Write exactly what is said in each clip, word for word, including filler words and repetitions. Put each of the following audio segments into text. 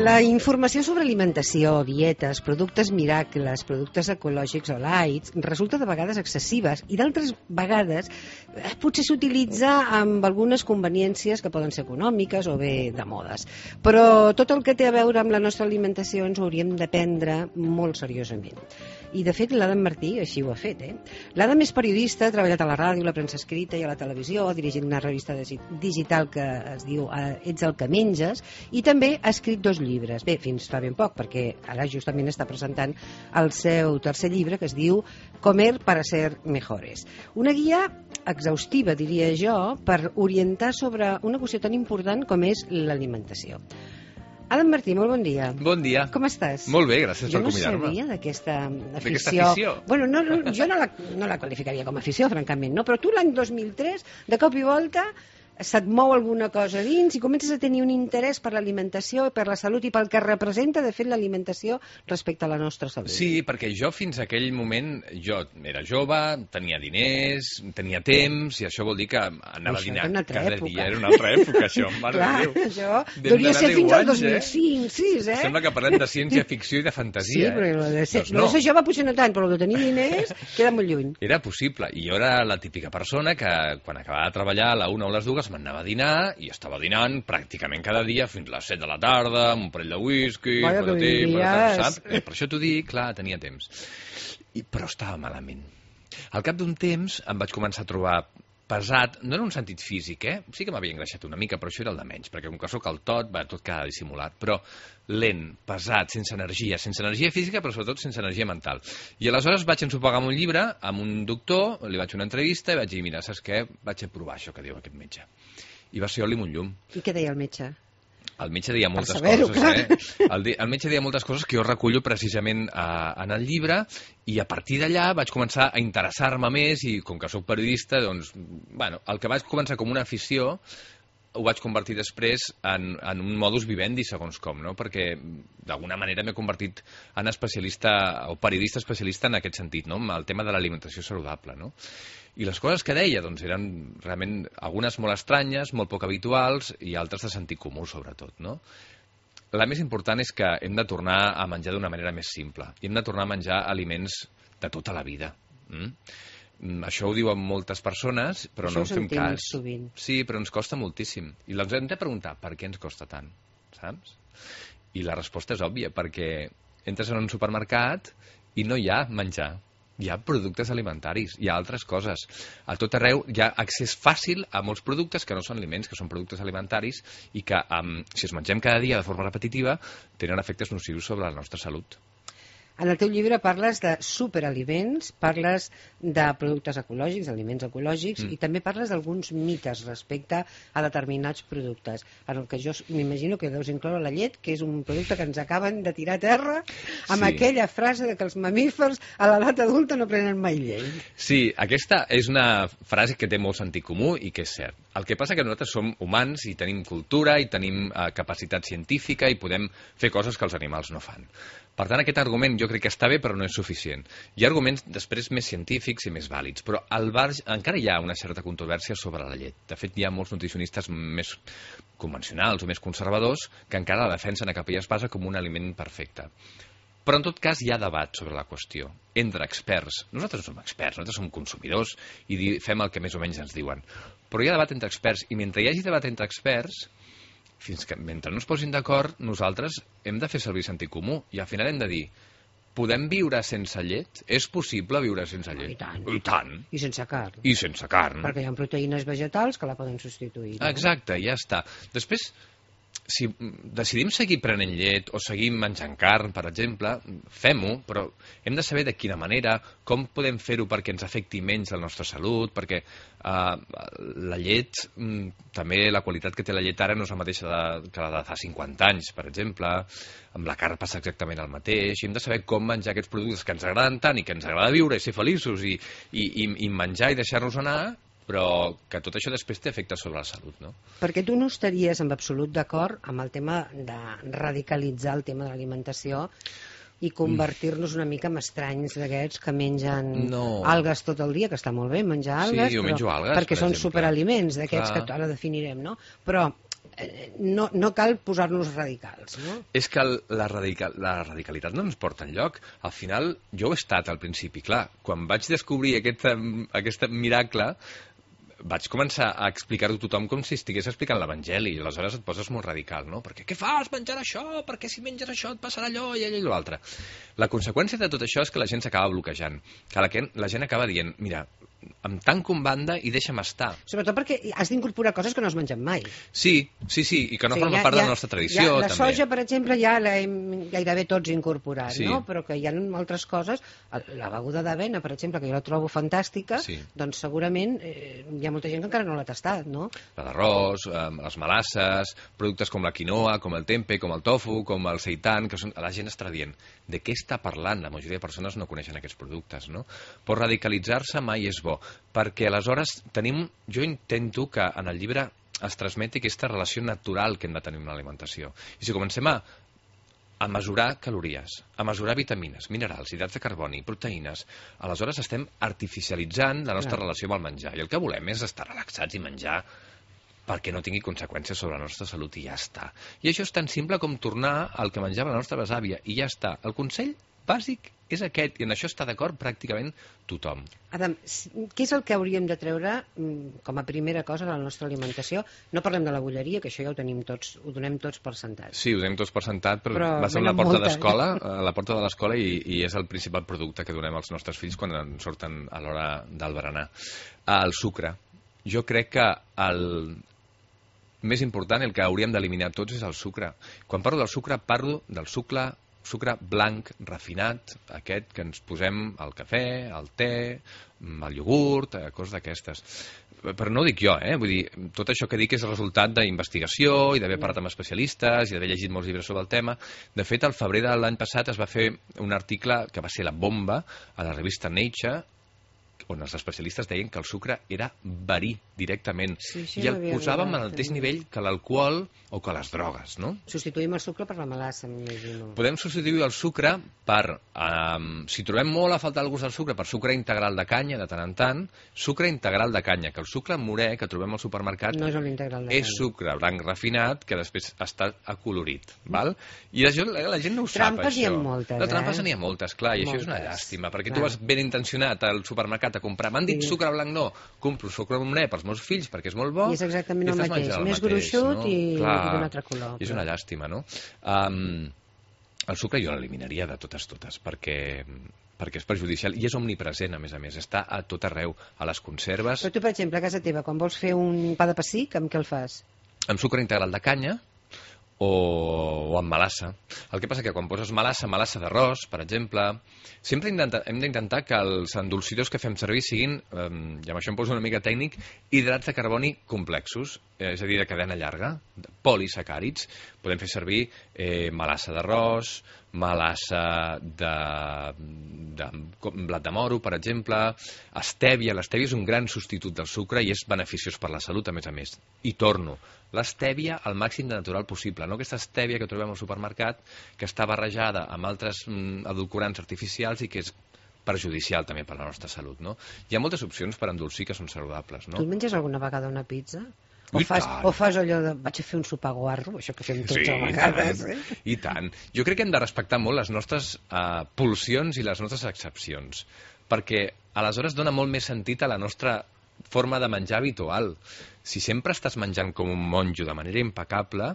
La informació sobre alimentació, dietes, productes miracles, productes ecològics o lights resulta de vegades excessives i d'altres vegades eh, potser s'utilitza amb algunes conveniències que poden ser econòmiques o bé de modes. Però tot el que té a veure amb la nostra alimentació ens ho hauríem de prendre molt seriosament. I de fet l'Adam Martí així ho ha fet. Eh? L'Adam és periodista, ha treballat a la ràdio, a la premsa escrita i a la televisió, ha dirigit una revista digital que es diu Ets el que menges i també ha escrit dos llibres. Bé, fins fa ben poc, perquè ara justament està presentant el seu tercer llibre que es diu Comer para ser mejores. Una guia exhaustiva, diria jo, per orientar sobre una qüestió tan important com és l'alimentació. Adam Martí, molt bon dia. Bon dia. Com estàs? Molt bé, gràcies per convidar-me. Jo no sabia d'aquesta afició. D'aquesta afició? Bueno, no, no, jo no la, no la qualificaria com a afició, francament, no? Però tu l'any dos mil tres, de cop i volta, se't mou alguna cosa dins i comences a tenir un interès per l'alimentació, per la salut i pel que representa, de fet, l'alimentació respecte a la nostra salut. Sí, perquè jo fins a aquell moment, jo era jove, tenia diners, tenia temps, i això vol dir que anava això a dinar època. cada dia. Era una altra època, això, mare Clar, de Déu. això Vam devia d'anar ser deu fins al anys, dos mil cinc, eh? sis, eh? Sembla que parlem de ciència-ficció i de fantasia. Sí, però eh? de ser, doncs no. de ser jove potser no tant, però de tenir diners queda molt lluny. Era possible, i jo era la típica persona que quan acabava de treballar a la una o les dues m'anava a dinar i estava dinant pràcticament cada dia fins a les set de la tarda, amb un parell de whisky, Vaja, que patatí, vivies. patatà, saps? Eh, per això t'ho dic, clar, tenia temps. I, però estava malament. Al cap d'un temps em vaig començar a trobar pesat, no en un sentit físic, eh? Sí que m'havia engreixat una mica, però això era el de menys, perquè com que soc el tot, va, tot queda dissimulat, però lent, pesat, sense energia, sense energia física, però sobretot sense energia mental. I aleshores vaig ensopegar amb un llibre, amb un doctor, li vaig fer una entrevista i vaig dir, mira, saps què? Vaig a provar això que diu aquest metge. I va ser oli amb un llum. I què deia el metge? El metge deia moltes saber-ho, coses, eh? El, de, el metge deia moltes coses que jo recullo precisament a, en el llibre i a partir d'allà vaig començar a interessar-me més i com que sóc periodista, doncs, bueno, el que vaig començar com una afició ho vaig convertir després en, en un modus vivendi, segons com, no? Perquè d'alguna manera m'he convertit en especialista o periodista especialista en aquest sentit, no? El tema de l'alimentació saludable, no? I les coses que deia doncs, eren realment algunes molt estranyes, molt poc habituals i altres de sentit comú, sobretot, no? La més important és que hem de tornar a menjar d'una manera més simple i hem de tornar a menjar aliments de tota la vida. Mm? Això ho diuen moltes persones, però això no en fem cas. Sovint. Sí, però ens costa moltíssim. I ens hem de preguntar per què ens costa tant, saps? I la resposta és òbvia, perquè entres en un supermercat i no hi ha menjar. Hi ha productes alimentaris, hi ha altres coses. A tot arreu hi ha accés fàcil a molts productes que no són aliments, que són productes alimentaris i que, um, si els mengem cada dia de forma repetitiva, tenen efectes nocius sobre la nostra salut. En el teu llibre parles de superaliments, parles de productes ecològics, aliments ecològics, mm. i també parles d'alguns mites respecte a determinats productes, en el que jo m'imagino que deus incloure la llet, que és un producte que ens acaben de tirar a terra amb sí. aquella frase de que els mamífers a l'edat adulta no prenen mai llet. Sí, aquesta és una frase que té molt sentit comú i que és cert. El que passa que nosaltres som humans i tenim cultura i tenim eh, capacitat científica i podem fer coses que els animals no fan. Per tant, aquest argument jo crec que està bé, però no és suficient. Hi ha arguments després més científics i més vàlids, però al bar encara hi ha una certa controvèrsia sobre la llet. De fet, hi ha molts nutricionistes més convencionals o més conservadors que encara la defensen a capa i espasa com un aliment perfecte. Però en tot cas hi ha debat sobre la qüestió, entre experts. Nosaltres no som experts, nosaltres som consumidors i fem el que més o menys ens diuen. Però hi ha debat entre experts, i mentre hi hagi debat entre experts, fins que mentre no es posin d'acord, nosaltres hem de fer servir sentit comú i al final hem de dir, podem viure sense llet? És possible viure sense llet? I tant. I tant. I sense carn. I sense carn. Perquè hi ha proteïnes vegetals que la poden substituir. No? Exacte, ja està. Després, si decidim seguir prenent llet o seguir menjant carn, per exemple, fem-ho, però hem de saber de quina manera, com podem fer-ho perquè ens afecti menys la nostra salut, perquè uh, la llet, també la qualitat que té la llet ara no és la mateixa de, que la de fa cinquanta anys, per exemple, amb la carn passa exactament el mateix, i hem de saber com menjar aquests productes que ens agraden tant i que ens agrada viure i ser feliços i, i, i, i menjar i deixar-nos anar, però que tot això després té efectes sobre la salut, no? Perquè tu no estaries en absolut d'acord amb el tema de radicalitzar el tema de l'alimentació i convertir-nos una mica en estranys d'aquests que mengen no. algues tot el dia, que està molt bé menjar algues, sí, jo menjo però, algues, perquè per són exemple. superaliments d'aquests Clar. que ara definirem, no? Però no, no cal posar-nos radicals, no? És que el, la, radical, la radicalitat no ens porta enlloc. Al final, jo ho he estat al principi, clar. Quan vaig descobrir aquest, aquest miracle, vaig començar a explicar-ho a tothom com si estigués explicant l'Evangeli, i aleshores et poses molt radical, no? Perquè què fas menjant això? Perquè si menges això et passarà allò i allò i l'altre. La conseqüència de tot això és que la gent s'acaba bloquejant, que la, la gent acaba dient, mira, em tanco en banda i deixa'm estar. Sobretot perquè has d'incorporar coses que no has menjat mai. Sí, sí, sí, i que no o sigui, formen ja, part ja, de la nostra tradició, ja, la també. soja, per exemple, ja l'hem gairebé tots incorporat, Sí. no? Però que hi ha altres coses, la beguda d'avena, per exemple, que jo la trobo fantàstica, Sí. doncs segurament eh, hi ha molta gent que encara no l'ha tastat, no? La d'arròs, eh, les melasses, productes com la quinoa, com el tempe, com el tofu, com el seitan, que són... la gent està dient de què està parlant. La majoria de persones no coneixen aquests productes, no? Però radicalitzar-se mai és bo, perquè aleshores tenim... Jo intento que en el llibre es transmeti aquesta relació natural que hem de tenir amb l'alimentació. I si comencem a, a mesurar calories, a mesurar vitamines, minerals, hidrats de carboni, proteïnes, aleshores estem artificialitzant la nostra Clar. relació amb el menjar. I el que volem és estar relaxats i menjar perquè no tingui conseqüències sobre la nostra salut i ja està. I això és tan simple com tornar al que menjava la nostra besàvia i ja està. El consell bàsic és aquest, i en això està d'acord pràcticament tothom. Adam, què és el que hauríem de treure mm, com a primera cosa de la nostra alimentació? No parlem de la bulleria, que això ja ho tenim tots, ho donem tots per sentat. Sí, ho donem tots per sentat, però, Però va ser una venen porta moltes. d'escola, a la porta de l'escola, i, i és el principal producte que donem als nostres fills quan en surten a l'hora del berenar. El sucre. Jo crec que el més important, el que hauríem d'eliminar tots, és el sucre. Quan parlo del sucre, parlo del sucre sucre blanc, refinat, aquest que ens posem al cafè, al te, al iogurt, coses d'aquestes. Però no ho dic jo, eh? Vull dir, tot això que dic és el resultat d'investigació i d'haver parlat amb especialistes i d'haver llegit molts llibres sobre el tema. De fet, al febrer de l'any passat es va fer un article que va ser la bomba a la revista Nature, on els especialistes deien que el sucre era verí directament, Sí, sí, i el m'havia posàvem arribat, al mateix també. nivell que l'alcohol o que les drogues, no? Substituïm el sucre per la melassa, m'imagino. Podem substituir el sucre per, um, si trobem molt a faltar el gust del sucre, per sucre integral de canya, de tant en tant, sucre integral de canya, que el sucre morè que trobem al supermercat No és l'integral de és canya. sucre blanc refinat que després està acolorit, val? I això, la, la gent no ho sap, Trampes això. n'hi ha moltes, no, trampes eh? n'hi ha moltes, clar, i això és una Moltes, llàstima, perquè clar. tu vas ben intencionat al supermercat a comprar, m'han dit Sí. sucre blanc, no, compro sucre morè pels meus fills perquè és molt bo, I és exactament i el estàs mateix, menjant el més mateix, gruixut no? i- Clar, i d'un altre color, és però- una llàstima, no? Um, el sucre jo l'eliminaria de totes totes, perquè perquè és perjudicial i és omnipresent, a més a més, està a tot arreu, a les conserves, Però tu, per exemple, a casa teva, quan vols fer un pa de pessic, amb què el fas? amb sucre integral de canya o, o amb melassa. El que passa que quan poses melassa, melassa d'arròs, per exemple, sempre intenta, hem d'intentar que els endolcidors que fem servir siguin, eh, i amb això em poso una mica tècnic, hidrats de carboni complexos, eh, és a dir, de cadena llarga, polisacàrids. Podem fer servir eh, melassa d'arròs, melassa de, de com blat de moro, per exemple, estèvia. L'estèvia és un gran substitut del sucre i és beneficiós per la salut, a més a més. I torno, l'estèvia al màxim de natural possible, no aquesta estèvia que trobem al supermercat, que està barrejada amb altres mm, edulcorants artificials i que és perjudicial també per la nostra salut, no? Hi ha moltes opcions per endolcir que són saludables, no? Tu et menges alguna vegada una pizza? O I fas, tant. o fas allò de vaig a fer un sopar guarro, això que fem tots Sí, a i vegades, tant, eh? i tant. Jo crec que hem de respectar molt les nostres uh, pulsions i les nostres excepcions, perquè aleshores dona molt més sentit a la nostra forma de menjar habitual. Si sempre estàs menjant com un monjo de manera impecable,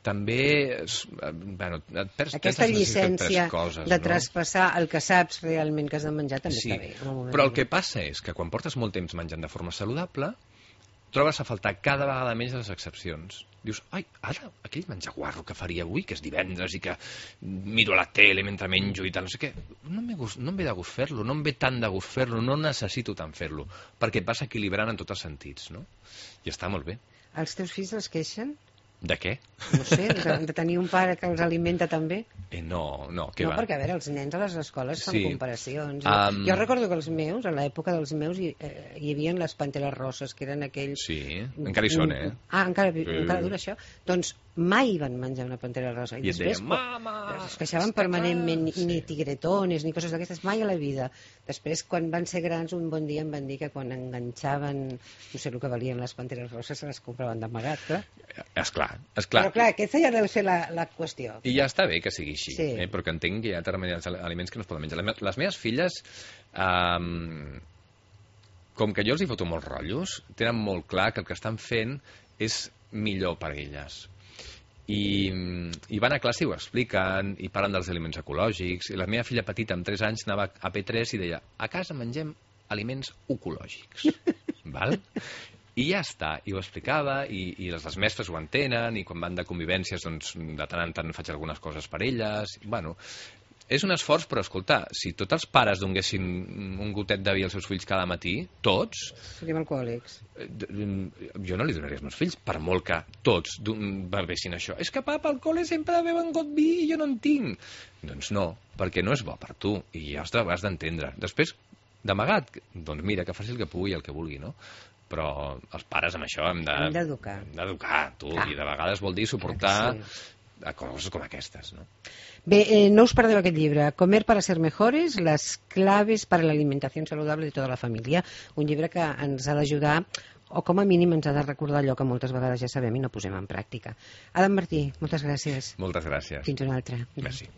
també es- eh, bueno, et perds, Aquesta perds la sensació de llicència tres coses, de no? traspassar el que saps realment que has de menjar també Sí, està bé. en un moment però el que donat. passa és que quan portes molt temps menjant de forma saludable, trobes a faltar cada vegada més les excepcions. Dius, ai, ara, aquell menjar guarro que faria avui, que és divendres i que miro la tele mentre menjo i tal, no sé què, no em ve, gust, no em ve de gust fer-lo, no em ve tant de gust fer-lo, no necessito tant fer-lo, perquè et vas equilibrant en tots els sentits, no? I està molt bé. Els teus fills es queixen? De què? No sé, de, de tenir un pare que els alimenta també? Eh, no, no, què No, va? perquè, a veure, els nens a les escoles fan Sí. comparacions. Um, Jo recordo que els meus, a l'època dels meus, hi, eh, hi havia les panteres rosses, que eren aquells... Sí, encara hi són, eh? Ah, encara, Sí. encara dura això? Doncs mai van menjar una pantera rosa. I et després, deien, quan- mama... es queixaven està permanentment, ni, clar." ni Sí. tigretones, ni coses d'aquestes, mai a la vida. Després, quan van ser grans, un bon dia em van dir que quan enganxaven, no sé el que valien les panteres roses, se les compraven d'amagat, clar. Esclar, esclar. Però clar, aquesta ja deu ser la, la qüestió. I ja està bé que sigui així, Sí. eh? Perquè entenc que hi ha determinats aliments que no es poden menjar. Les me- Les meves filles, um, com que jo els hi foto molts rotllos, tenen molt clar que el que estan fent és millor per elles. I, i van a classe i ho expliquen, i parlen dels aliments ecològics, i la meva filla petita, amb tres anys, anava a P tres i deia, a casa mengem aliments ecològics. Val? I ja està, i ho explicava, i, i les, les mestres ho entenen, i quan van de convivències, doncs, de tant en tant faig algunes coses per elles. Bueno, és un esforç, però escolta, si tots els pares donguessin un gotet de vi als seus fills cada matí, tots, Seríem alcohòlics. eh, d- jo no li donaria als meus fills, per molt que tots d'un- bevessin això. És que papa, al col·le sempre beuen got vi i jo no en tinc. Doncs no, perquè no és bo per tu, i ja ho has d'entendre. Després, d'amagat, doncs mira, que faci el que pugui i el que vulgui, no? Però els pares amb això hem de... Hem d'educar. Hem d'educar, tu, Clar. i de vegades vol dir suportar Clar que a coses com aquestes, no? Bé, eh, no us perdeu aquest llibre, Comer para ser mejores, las claves para la alimentación saludable de tota la família. Un llibre que ens ha d'ajudar, o com a mínim ens ha de recordar allò que moltes vegades ja sabem i no posem en pràctica. Adam Martí, moltes gràcies. Moltes gràcies. Fins una altra. Merci.